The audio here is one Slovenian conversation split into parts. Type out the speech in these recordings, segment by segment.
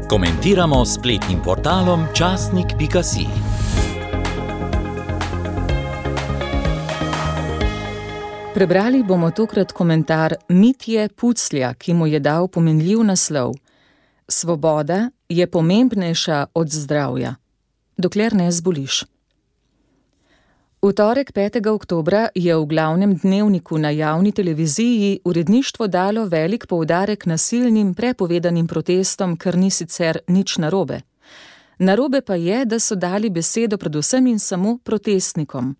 Komentiramo s spletnim portalom časnik.si. Prebrali bomo tokrat komentar Mitje Puclja, ki mu je dal pomenljiv naslov: Svoboda je pomembnejša od zdravja, dokler ne zboliš. V torek 5. oktobra je v glavnem dnevniku na javni televiziji uredništvo dalo velik poudarek nasilnim prepovedanim protestom, kar ni sicer nič narobe. Narobe pa je, da so dali besedo predvsem in samo protestnikom.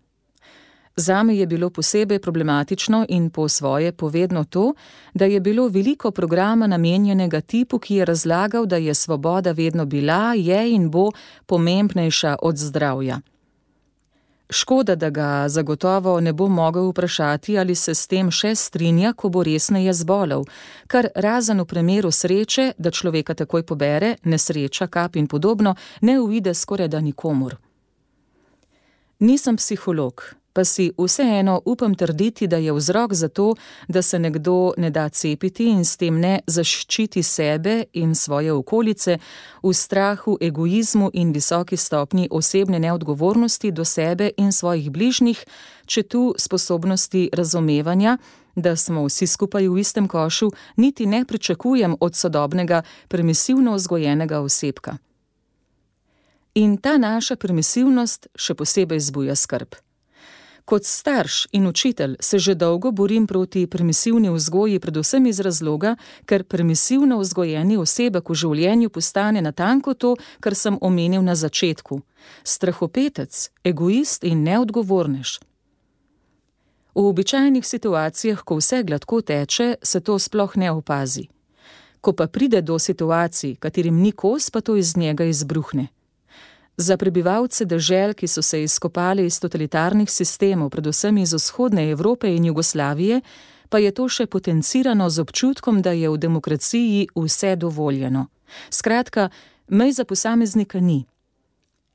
Zame je bilo posebej problematično in po svoje povedno to, da je bilo veliko programa namenjenega tipu, ki je razlagal, da je svoboda vedno bila, je in bo pomembnejša od zdravja. Škoda, da ga zagotovo ne bo mogel vprašati, ali se s tem še strinja, ko bo resneje zbolel, kar razen v primeru sreče, da človeka takoj pobere, nesreča, kap in podobno, ne uide skorajda nikomur. Nisem psiholog, pa si vseeno upam trditi, da je vzrok za to, da se nekdo ne da cepiti in s tem ne zaščiti sebe in svoje okolice, v strahu, egoizmu in visoki stopnji osebne neodgovornosti do sebe in svojih bližnjih, če tu sposobnosti razumevanja, da smo vsi skupaj v istem košu, niti ne pričakujem od sodobnega, permisivno vzgojenega osebka. In ta naša permisivnost še posebej zbuja skrb. Kot starš in učitelj se že dolgo borim proti permisivni vzgoji, predvsem iz razloga, ker permisivno vzgojeni osebek v življenju postane natanko to, kar sem omenil na začetku: strahopetec, egoist in neodgovornež. V običajnih situacijah, ko vse gladko teče, se to sploh ne opazi. Ko pa pride do situacij, katerim ni kos, pa to iz njega izbruhne. Za prebivalce dežel, ki so se izkopali iz totalitarnih sistemov, predvsem iz vzhodne Evrope in Jugoslavije, pa je to še potencirano z občutkom, da je v demokraciji vse dovoljeno. Skratka, mej za posameznika ni.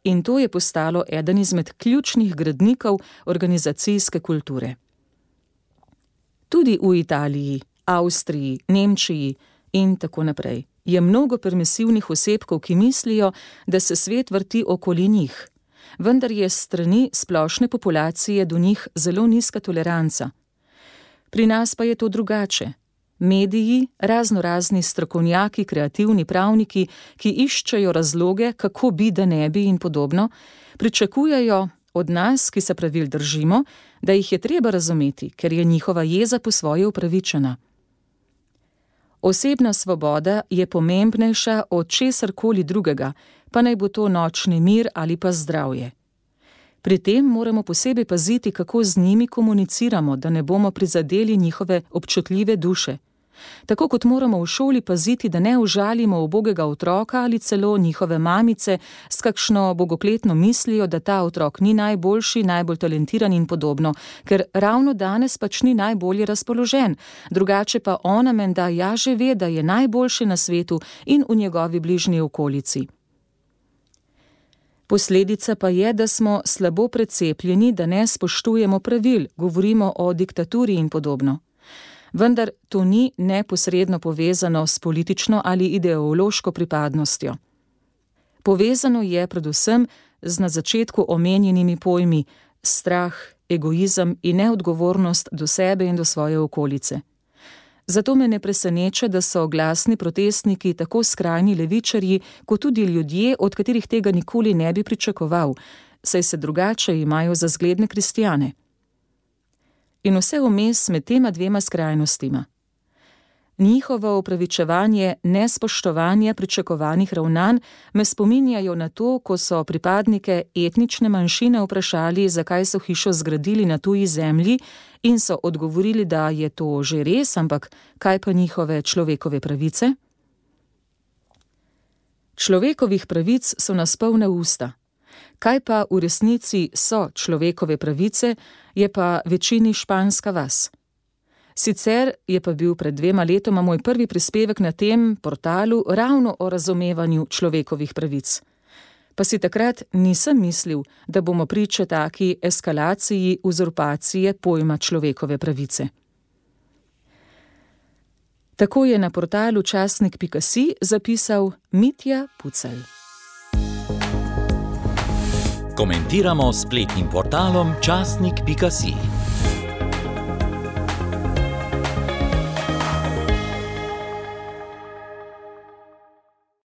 In to je postalo eden izmed ključnih gradnikov organizacijske kulture. Tudi v Italiji, Avstriji, Nemčiji in tako naprej je mnogo permisivnih osebkov, ki mislijo, da se svet vrti okoli njih, vendar je s strani splošne populacije do njih zelo nizka toleranca. Pri nas pa je to drugače. Mediji, raznorazni strokovnjaki, kreativni pravniki, ki iščejo razloge, kako bi, da ne bi in podobno, pričakujejo od nas, ki se pravil držimo, da jih je treba razumeti, ker je njihova jeza po svoje upravičena. Osebna svoboda je pomembnejša od česarkoli drugega, pa naj bo to nočni mir ali pa zdravje. Pri tem moramo posebej paziti, kako z njimi komuniciramo, da ne bomo prizadeli njihove občutljive duše. Tako kot moramo v šoli paziti, da ne užalimo ubogega otroka ali celo njihove mamice s kakšno bogokletno mislijo, da ta otrok ni najboljši, najbolj talentiran in podobno, ker ravno danes pač ni najbolje razpoložen, drugače pa ona menda ja že ve, da je najboljši na svetu in v njegovi bližnji okolici. Posledica pa je, da smo slabo precepljeni, da ne spoštujemo pravil, govorimo o diktaturi in podobno. Vendar to ni neposredno povezano s politično ali ideološko pripadnostjo. Povezano je predvsem z na začetku omenjenimi pojmi strah, egoizem in neodgovornost do sebe in do svoje okolice. Zato me ne preseneča, da so glasni protestniki tako skrajni levičarji, kot tudi ljudje, od katerih tega nikoli ne bi pričakoval, saj se drugače imajo za zgledne kristjane. In vse vmes med tema dvema skrajnostima. Njihovo opravičevanje nespoštovanja pričakovanih ravnanj me spominjajo na to, ko so pripadnike etnične manjšine vprašali, zakaj so hišo zgradili na tuji zemlji, in so odgovorili, da je to že res, ampak kaj pa njihove človekove pravice? Človekovih pravic so nas polna usta. Kaj pa v resnici so človekove pravice, je pa večini španska vas. Sicer je pa bil pred 2 letoma moj prvi prispevek na tem portalu ravno o razumevanju človekovih pravic. Pa si takrat nisem mislil, da bomo priče taki eskalaciji uzurpacije pojma človekove pravice. Tako je na portalu časnik.si zapisal Mitja Pucelj. Komentiramo s spletnim portalom časnik.si.